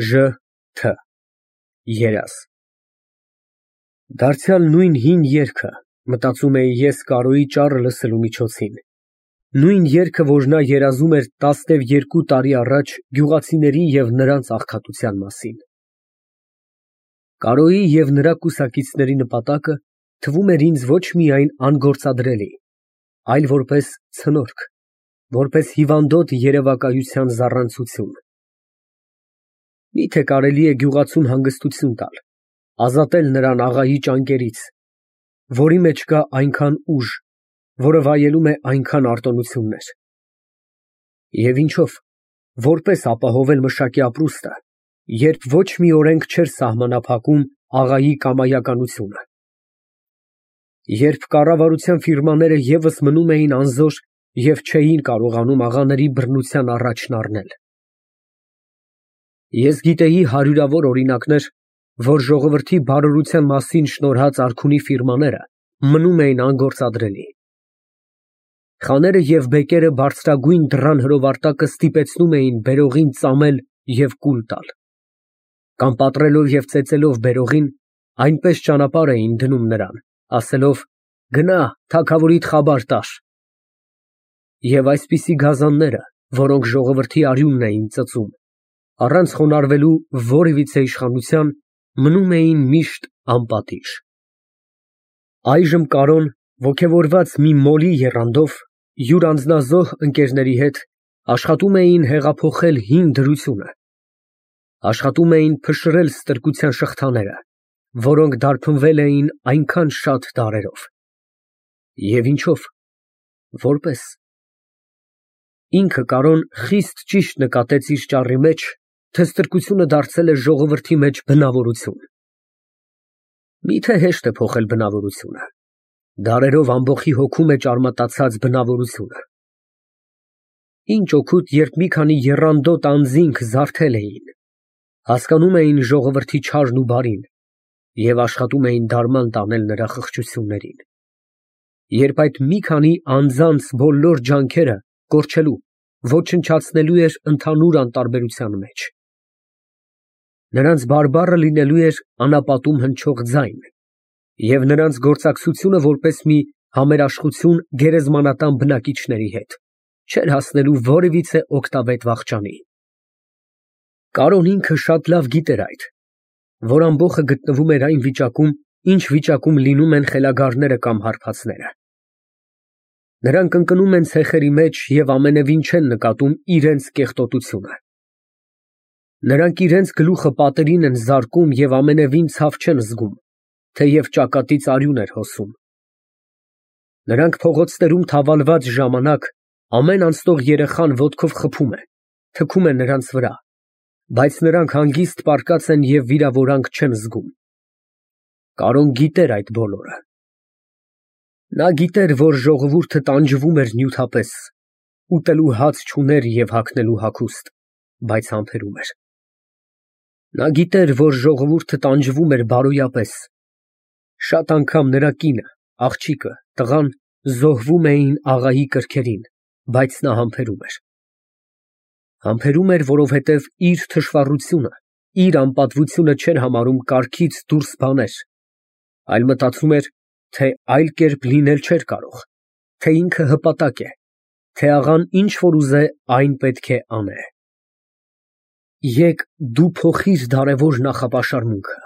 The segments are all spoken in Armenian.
Ժ Թ երազ Դարձյալ նույն հին երգը, մտածում էի ես Կարոյի ճառը լսելու միջոցին, նույն երգը, որ նա երազում էր 12 տարի առաջ գյուղացիների և նրանց աղքատության մասին։ Կարոյի և նրա կուսակիցների նպատակը թվում էր ինձ ոչ միայն անգործադրելի, այլ որպես ցնորք, որպես հիվանդոտ երևակայության զառանցություն։ Միթե կարելի է գյուղացուն հանգստություն տալ, ազատել նրան աղայի ճանկերից, որի մեջ կա այնքան ուժ, որը վայելում է այնքան արտոնություններ։ Եվ ինչո՞վ, որպես ապահովել մշակի ապրուստը, երբ ոչ մի օրենք չէր սահմանափակում աղայի կամայականությունը։ Երբ կառավարության ֆիրմաները ևս մնում էին անզոր և չէին կարողանում աղաների բռնության առաջն առնել։ Ես գիտեի հարյուրավոր օրինակներ, որ ժողովրդի բարօրության մասին շնորհած արքունի ֆիրմաները մնում էին անգործադրելի։ Խաները և բեկերը բարձրագույն դռան հրովարտակը ստիպեցնում էին բերողին ծամել և կուլ տալ, կամ պատռելով և ծեծելով բերողին, այնպես ճանապարհ էին դնում նրան, ասելով. «Գնա, թագավորիդ խաբար տար»։ Եվ այսպիսի գազանները, որոնք ժողովրդի արյունն էին ծծում, առանց խոնարհվելու որևիցե իշխանության, մնում էին միշտ անպատիժ։ Այժմ Կարոն, ոգևորված մի մոլի եռանդով, յուր անձնազոհ ընկերների հետ աշխատում էին հեղափոխել հին դրությունը, աշխատում էին փշրել ստրկության շղթաները, որոնք դարբնվել էին այնքան շատ դարերով։ Եվ ինչո՞վ, որպես։ Ինքը Կարոն խիստ ճիշտ նկատեց իր ճառի մեջ, թե ստրկությունը դարձել է ժողովրդի մեջ բնավորություն։ Միթե հեշտ է փոխել բնավորությունը։ Դարերով ամբոխի հոգում է ճարմատացած բնավորությունը։ Ինչ օգուտ, երբ մի քանի եռանդոտ անձինք զարթել էին, հասկանում էին ժողովրդի չարն ու բարին և աշխատում էին դարման տանել նրա խղճություններին, երբ այդ մի քանի անձանց բոլոր ջանքերը կորչելու, ոչնչացնելու էր ընդհանուր անտարբերության մեջ։ Նրանց բարբառը լինելու էր անապատում հնչող ձայն, և նրանց գործակցությունը որպես մի համերաշխություն գերեզմանատան բնակիչների հետ չէր հասնելու որևիցե օգտավետ վախճանի։ Կարոն ինքը շատ լավ գիտեր այդ, որ ամբոխը գտնվում էր այն վիճակում, ինչ վիճակում լինում են խելագարները կամ հարբածները։ Նրանք ընկնում են ցեխերի մեջ և ամենևին չեն նկատում իրենց կեղտոտությունը։ Նրանք իրենց գլուխը պատերին են զարկում և ամենևին ցավ չեն զգում, թեև ճակատից արյուն էր հոսում։ Նրանք փողոցներում թավալված ժամանակ ամեն անցնող երեխան ոտքով խփում է, թքում է նրանց վրա, բայց նրանք հանգիստ պառկած են և վիրավորանք չեն զգում։ Կարոն գիտեր այդ բոլորը։ Նա գիտեր, որ ժողովուրդը տանջվում էր նյութապես, ուտելու հաց չուներ և հագնելու հագուստ, բայց համբերում էր։ Նա գիտեր, որ ժողովուրդը տանջվում էր բարոյապես, շատ անգամ նրա կինը, աղջիկը, տղան զոհվում էին աղայի կրքերին, բայց նա համբերում էր։ Համբերում էր, որովհետև իր թշվառությունը, իր անպատվությունը չէր համարում կարգից դուրս բաներ, այլ մտածում էր, թե այլ կերպ լինել չէր կարող, թե ինքը հպատակ է, թե աղան ինչ որ ուզե, այն պետք է անե։ Եկ դու փոխիր դարևոր նախապաշարմունքը։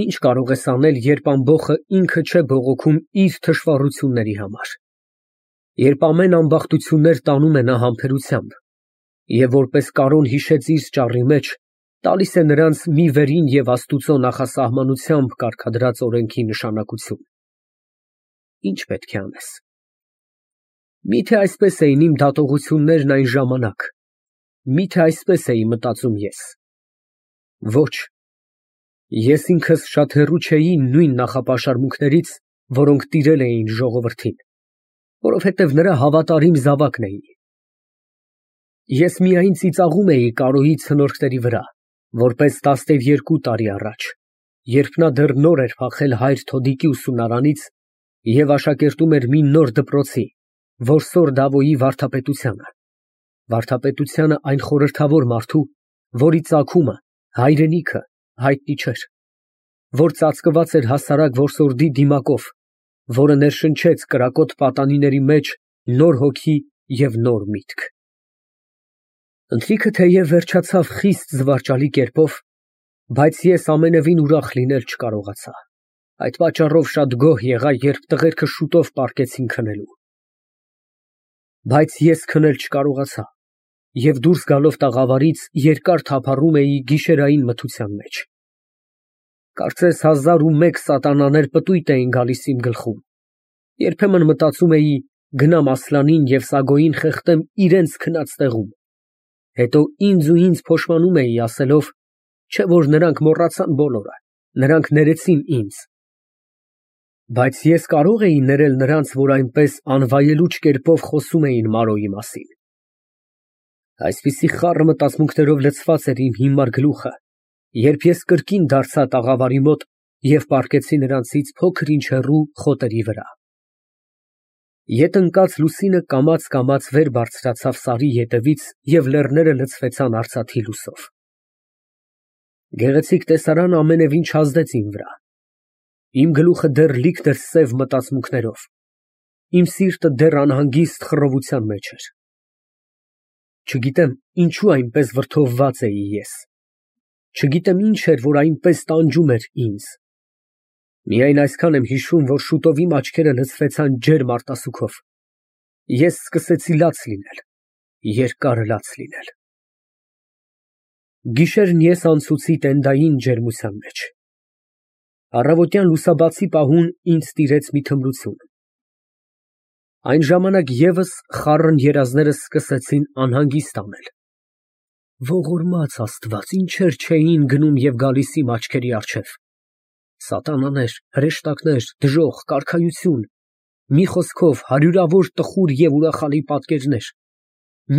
Ինչ կարող ես անել, երբ ամբոխը ինքը չէ բողոքում իր թշվառությունների համար, երբ ամեն ամբախտություններ տանում է նա համբերությամբ, և որպես Կարոն հիշեց իր ճառի մեջ, տալիս է նրանց մի վերին և Աստուծո նախասահմանությամբ կարգադրած օրենքի նշանակություն։ Ինչ պետք է անես։ Միթե այսպես էին իմ դատողություններն այն ժամանակ, միթե այսպես էի մտածում ես։ Ոչ, ես ինքս շատ հեռու չէի նույն նախապաշարմունքներից, որոնք տիրել էին ժողովրդին, որովհետև նրա հավատարիմ զավակն էի։ Ես միայն ծիծաղում էի Կարոյի ցնորքների վրա, որպես 12 տարի առաջ, երբ նա դեռ նոր էր փախել հայր Թոդիկի ուսումնարանից և աշակերտում էր մի նոր դպրոցի, որսոր Դավոյի վարդապետությանը այն խորհրդավոր մարդու, որի ծագումը, հայրենիքը հայտնի չէր, որ ծածկված էր հասարակ որսորդի դիմակով, որը ներշնչեց կրակոտ պատանիների մեջ նոր հոգի և նոր միտք։ Ընթրիքը թեև վերջացավ խիստ զվարճալի կերպով, բայց ես ամենևին ուրախ լինել չկարողացա։ Այդ պատճառով շատ գոհ եղա, երբ տղերքը շուտով պառկեցին քնելու։ Բայց ես քնել չկարողացա և դուրս գալով տաղավարից երկար թափառում էի գիշերային մթության մեջ։ Կարծես 1001 սատանաներ պտույտ էին գալիս իմ գլխում։ Երբեմն մտածում էի գնամ Ասլանին և Սագոյին խեղդեմ իրենց քնած տեղում, հետո ինձ փոշմանում էի ասելով, չէ որ նրանք մոռացան բոլորը, նրանք ներեցին ինձ։ Բայց ես կարող էի ներել նրանց, որ այնպես անվայելուչ կերպով խոսում էին Մարոյի մասին։ Այսպիսի խառը մտածմունքներով լցված էր իմ հիմար գլուխը, երբ ես կրկին դարձա տաղավարի մոտ և պառկեցի նրանցից փոքր-ինչ հեռու խոտերի վրա։ Ետ ընկած լուսինը կամաց վեր բարձրացավ սարի ետևից և լեռները լցվեցան արծաթի լույսով։ Գեղեցիկ տեսարանը ամենևին չազդեց իմ վրա։ Իմ գլուխը դեռ լիքն էր սև մտածմունքներով, իմ սիրտը դեռ անհանգիստ խռովության մեջ էր։ Չգիտեմ ինչու այնպես վրդովված էի ես։ Չգիտեմ ինչ էր, որ այնպես տանջում էր ինձ։ Միայն այսքան եմ հիշում, որ շուտով իմ աչքերը լցվեցան ջերմ արտասուքով։ Ես սկսեցի լաց լինել, երկար լաց լինել։ Գիշերն ես անցուցի տենդային ջերմության մեջ։ Առավոտյան լուսաբացի պահուն ինձ տիրեց մի թմրություն։ Այն ժամանակ ևս խառն երազներս սկսեցին անհանգիստ անել։ Ողորմած Աստված, ինչեր չէին գնում և գալիս իմ աչքերի առջև։ Սատանաներ, հրեշտակներ, դժոխք, կարգայություն, մի խոսքով հարյուրավոր տխուր և ուրախալի պատկերներ,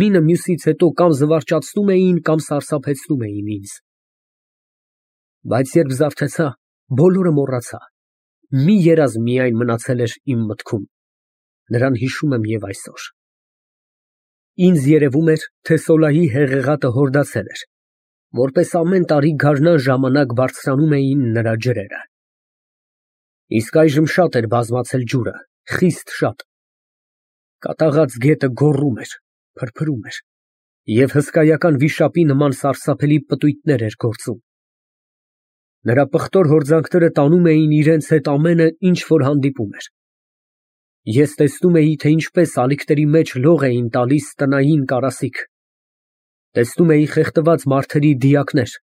մինը մյուսից հետո կամ զվարճացնում էին, կամ սարսափեցնում էին ինձ։ Բայց երբ զարթեցա, բոլորը մոռացա, մի երազ միայն մնացել էր իմ մտքում, նրան հիշում եմ և այսօր։ Ինձ երևում էր, թե Սոլայի հեղեղատը հորդացել էր, որպես ամեն տարի գարնան ժամանակ բարձրանում էին նրա ջրերը։ Իսկ այժմ շատ էր բազմացել ջուրը, խիստ շատ։ Կատաղած գետը գոռում էր, փրփրում էր և հսկայական վիշապի նման սարսափելի պտույտներ էր գործում։ Նրա պղտոր հորձանքները տանում էին իրենց հետ ամենը, ինչ որ հանդիպում էր։ Ես տեսնում էի, թե ինչպես ալիքների մեջ լող էին տալիս տնային կարասիք։ Տեսնում էի խեղդված մարդերի դիակներ,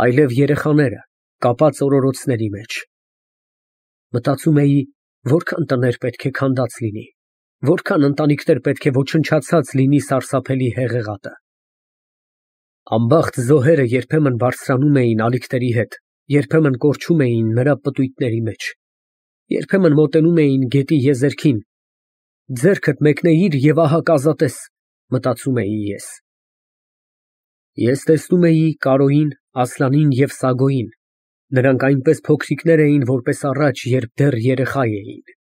այլև երեխաները կապած օրորոցների մեջ։ Մտածում էի, որքան տներ պետք է քանդած լինի, որքան ընտանիքներ պետք է ոչնչացած լինի սարսափելի հեղեղատը։ Անբախտ զոհերը երբեմն բարձրանում էին ալիքների հետ, երբեմն կորչում էին նրա պտույտների մեջ, երբեմն մոտենում էին գետի եզերքին։ Ձեռքդ մեկնեիր և ահա կազատես, մտածում էի ես։ Ես տեսնում էի Կարոյին, Ասլանին և Սագոյին, նրանք այնպես փոքրիկներ էին, որպես առաջ, երբ դեռ երեխա էին։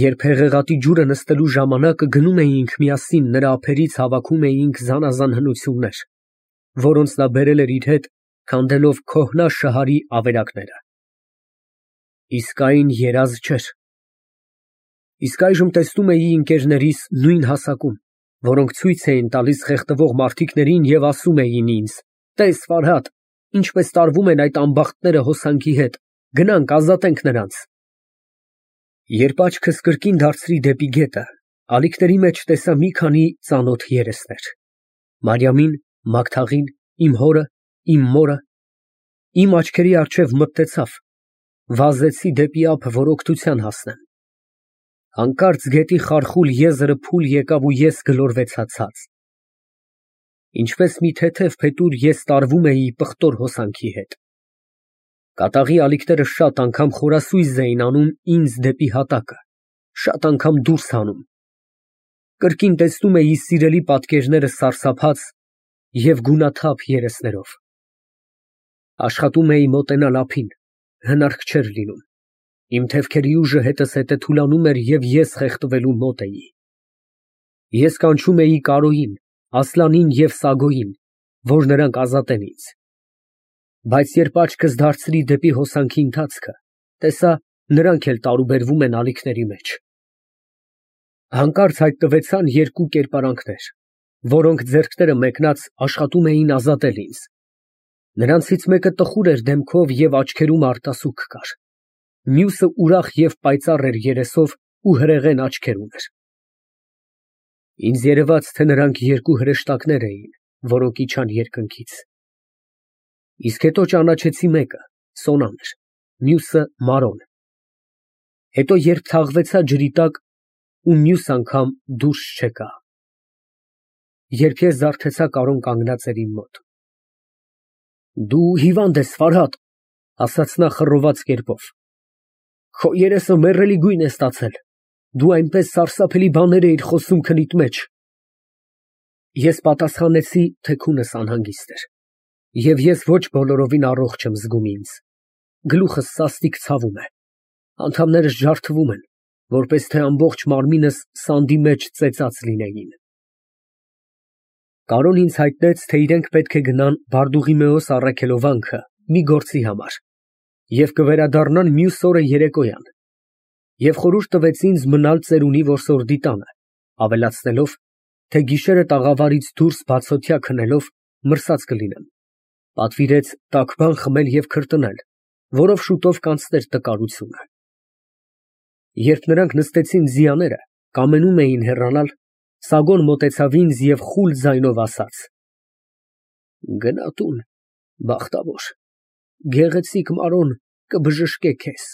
Երբ հեղեղատի ջուրը նստելու ժամանակը գնում էինք միասին, նրա ափերից հավաքում էինք զանազան հնություններ, որոնց նա բերել էր իր հետ, քանդելով քոհնա շհարի ավերակները։ Իսկ այն երազ չէր։ Իսկ այժմ տեսնում էի ընկերներիս նույն հասակում, որոնք ցույց էին տալիս խեղդվող մարդիկներին և ասում էին ինձ. «Տես, Ֆարհադ, ինչպես տարվում են այդ անբախտները հոսանքի հետ, գնանք ազատենք նրանց»։ Երբ աչքս կրկին դարձրի դեպի գետը, ալիքների մեջ տեսա մի քանի ծանոթ երեսներ. Մարիամին, Մագդաղին, իմ հորը, իմ մորը։ Իմ աչքերի առջև մտտեցավ, վազեցի դեպի ափ, որ օգնության հասնեմ։ Հանկարծ գետի խարխուլ եզրը փուլ եկավ ու ես գլորվեցա ցած։ Ինչպես մի թեթև փետուր ես տարվում էի պղտոր հոսանքի հետ։ Կատաղի ալիքները շատ անգամ խորասույզ էին անում ինձ դեպի հատակը, շատ անգամ դուրս հանում։ Կրկին տեսնում էի սիրելի պատկերները սարսափած և գունաթափ երեսներով։ Աշխատում էի մոտենալ ափին, հնարք չէր լինում։ Իմ թևքերի ուժը հետզհետե թուլանում էր և ես խեղդվելու մոտ էի։ Ես կանչում էի Կարոյին, Ասլանին և Սագոյին, որ նրանք ազատեն ինձ։ Բայց երբ աչքս դարձրի դեպի հոսանքի ընթացքը, տեսա, նրանք էլ տարուբերվում են ալիքների մեջ։ Հանկարծ հայտնվեցան երկու կերպարանքներ, որոնք ձեռքները մեկնած աշխատում էին ազատել ինձ։ Նրանցից մեկը տխուր էր դեմքով և աչքերում արտասուք կար, մյուսը ուրախ և պայծառ էր երեսով ու հրեղեն աչքեր ուներ։ Ինձ երևաց, թե նրանք երկու հրեշտակներ էին, որոնք իջան երկնքից։ Իսկ հետո ճանաչեցի մեկը, Սոնան էր, մյուսը Մարոն։ Հետո երբ թաղվեցա ջրի տակ ու մյուս անգամ դուրս չեկա։ Երբ ես զարթեցա, Կարոն կանգնած էր իմ մոտ։ Դու հիվանդ ես, Ֆարհադ, ասաց նա խռոված կերպով։ Քո երեսը մեռելի գույն է ստացել, դու այնպես սարսափելի բաներ էիր խոսում քնիդ մեջ։ Ես պատասխանեցի, թե քունս անհանգիստ էր, և ես ոչ բոլորովին առողջ եմ զգում ինձ, գլուխս սաստիկ ցավում է, անդամներս ջարդվում են, որպես թե ամբողջ մարմինս սանդի մեջ ծեծած լինեին։ Կարոն ինձ հայտնեց, թե իրենք պետք է գնան Բարդուղիմեոս առաքելովանքը մի գործի համար և կվերադառնան մյուս օրը երեկոյան, և խորհուրդ տվեց ինձ մնալ ծերունի որսորդի տանը, ավելացնելով, թե գիշերը տաղավարից դուրս բացօթյա քնելով մրսած կլինեմ, պատվիրեց տաք բան խմել և քրտնել, որով շուտով կանցներ տկարությունը։ Երբ նրանք նստեցին ձիաները, կամենում էին հեռանալ, Սագոն մոտեցավ ինձ և խուլ ձայնով ասաց. Գնա տուն, բախտավոր, գեղեցիկ Մարոն կբժշկե քեզ։